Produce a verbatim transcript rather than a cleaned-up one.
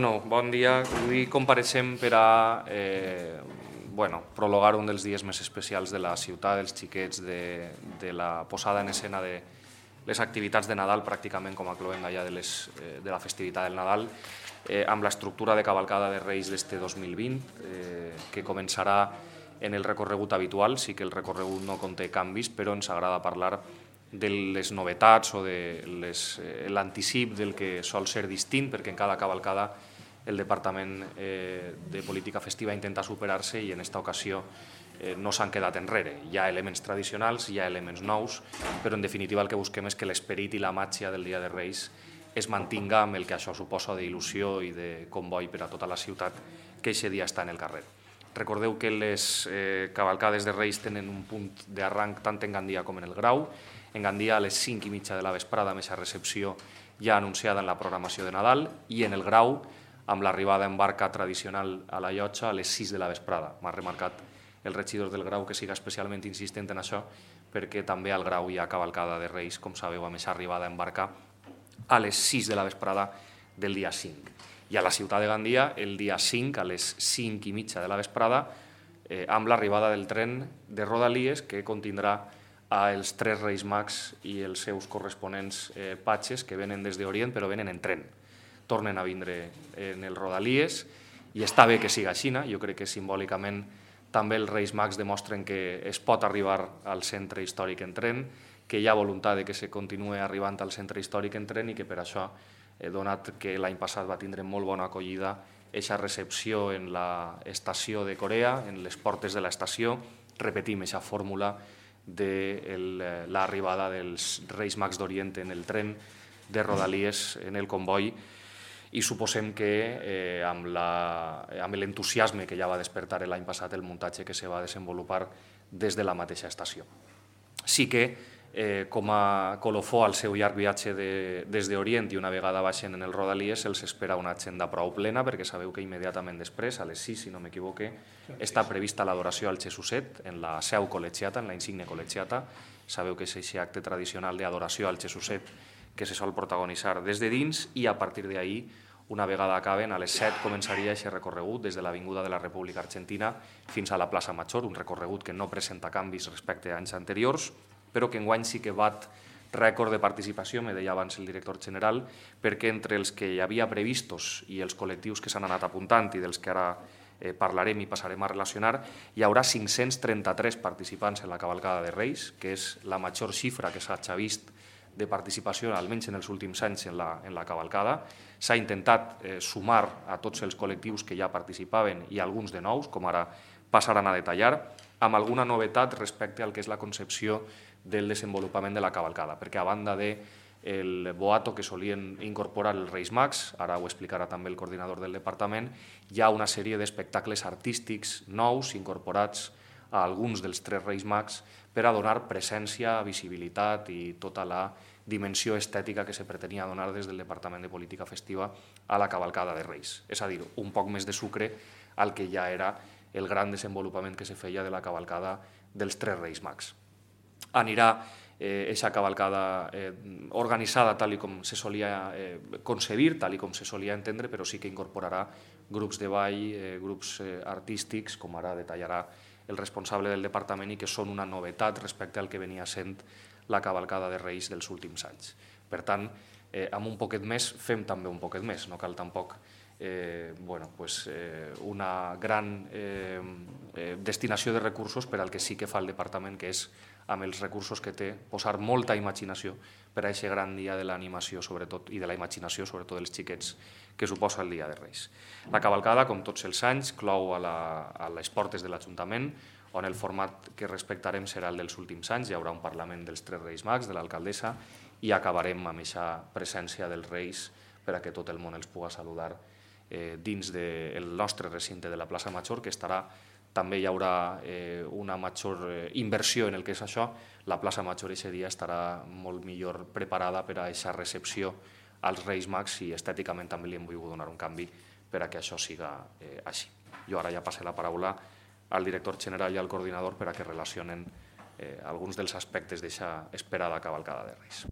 No, bon dia. Avui compareixem per a eh, bueno, prologar un dels dies més especials de la ciutat, dels xiquets, de, de la posada en escena de les activitats de Nadal, pràcticament com a cloenda ja de, les, eh, de la festivitat del Nadal, eh, amb l'estructura de cavalcada de Reis d'este dos mil vint, eh, que començarà en el recorregut habitual. Sí que el recorregut no conté canvis, però ens agrada parlar de les novetats o de eh, l'anticip del que sol ser distint, perquè en cada cavalcada el Departament eh, de Política Festiva intenta superar-se i en aquesta ocasió eh, no s'han quedat enrere. Hi ha elements tradicionals, hi ha elements nous, però en definitiva el que busquem és que l'esperit i la màgia del Dia de Reis es mantinga amb el que això suposa d'il·lusió i de comboi per a tota la ciutat que aquest dia està en el carrer. Recordeu que les eh, cavalcades de Reis tenen un punt d'arranc tant en Gandia com en el Grau. En Gandia a les cinc i mitja de la vesprada, amb aquesta recepció ja anunciada en la programació de Nadal, i en el Grau, amb l'arribada en barca tradicional a la llotja a les sis de la vesprada. M'ha remarcat el regidor del Grau que siga especialment insistent en això, perquè també al Grau hi ha cavalcada de Reis, com sabeu, amb aquesta arribada en barca a les sis de la vesprada del dia cinc. I a la ciutat de Gandia, el dia cinc, a les cinc i mitja de la vesprada, eh, amb l'arribada del tren de Rodalies, que contindrà als tres Reis Mags i els seus corresponents eh, patxes, que venen des d'Orient, però venen en tren. Tornen a vindre en el Rodalies i està bé que siga així. Jo crec que simbòlicament també els Reis Mags demostren que es pot arribar al centre històric en tren, que hi ha voluntat de que se continuï arribant al centre històric en tren i que per això, donat que l'any passat va tindre molt bona acollida aquesta recepció en l'estació de Corea, en les portes de l'estació, repetim aquesta fórmula de l'arribada dels Reis Mags d'Orient en el tren de Rodalies en el comboi, i suposem que eh, amb l'entusiasme que ja va despertar l'any passat el muntatge que se va desenvolupar des de la mateixa estació. Sí que, eh, com a colofó al seu llarg viatge de, des d'Orient i una vegada baixen en el Rodalies, se'ls espera una agenda prou plena, perquè sabeu que immediatament després, a les sis, si no m'equivoque, està prevista l'adoració al Jesuset en la seu col·legiata, en la insigne col·legiata. Sabeu que és aquest acte tradicional d'adoració al Jesuset que se sol protagonitzar des de dins, i a partir d'ahir, una vegada acaben, a les set començaria aquest recorregut des de l'Avinguda de la República Argentina fins a la plaça Major, un recorregut que no presenta canvis respecte a anys anteriors, però que enguany sí que bat rècord de participació, me deia abans el director general, perquè entre els que hi havia previstos i els col·lectius que s'han anat apuntant i dels que ara eh, parlarem i passarem a relacionar, hi haurà cinc-cents trenta-tres participants en la cavalcada de Reis, que és la major xifra que s'ha vist de participació, almenys en els últims anys, en la, en la cavalcada. S'ha intentat eh, sumar a tots els col·lectius que ja participaven i alguns de nous, com ara passaran a detallar, amb alguna novetat respecte al que és la concepció del desenvolupament de la cavalcada, perquè a banda del boato que solien incorporar els Reis Mags, ara ho explicarà també el coordinador del departament, hi ha una sèrie d'espectacles artístics nous incorporats a alguns dels tres Reis Mags per a donar presència, visibilitat i tota la dimensió estètica que se pretenia donar des del Departament de Política Festiva a la cavalcada de Reis. És a dir, un poc més de sucre al que ja era el gran desenvolupament que se feia de la cavalcada dels tres Reis Mags. Anirà aquesta cavalcada organitzada tal com se solia concebir, tal com se solia entendre, però sí que incorporarà grups de ball, grups artístics, com ara detallarà el responsable del departament, i que són una novetat respecte al que venia sent la cavalcada de Reis dels últims anys. Per tant, amb un poquet més fem també un poquet més, no cal tampoc una gran destinació de recursos per al que sí que fa el departament, que és amb els recursos que té posar molta imaginació per a aquest gran dia de l'animació i de la imaginació, sobretot dels xiquets, que suposa el Dia de Reis. La cavalcada, com tots els anys, clou a les portes de l'Ajuntament, on el format que respectarem serà el dels últims anys. Hi haurà un Parlament dels tres Reis Mags, de l'alcaldessa, i acabarem amb aquesta presència dels Reis per a que tot el món els pugui saludar dins del nostre recinte de la plaça Major, que estarà, també hi haurà una major inversió en el que és això. La plaça Major aquest dia estarà molt millor preparada per a aquesta recepció als Reis Mags, i estèticament també li hem volgut donar un canvi per a que això siga així. Jo ara ja passo la paraula al director general i al coordinador per a que relacionen alguns dels aspectes d'aquesta esperada cavalcada de Reis.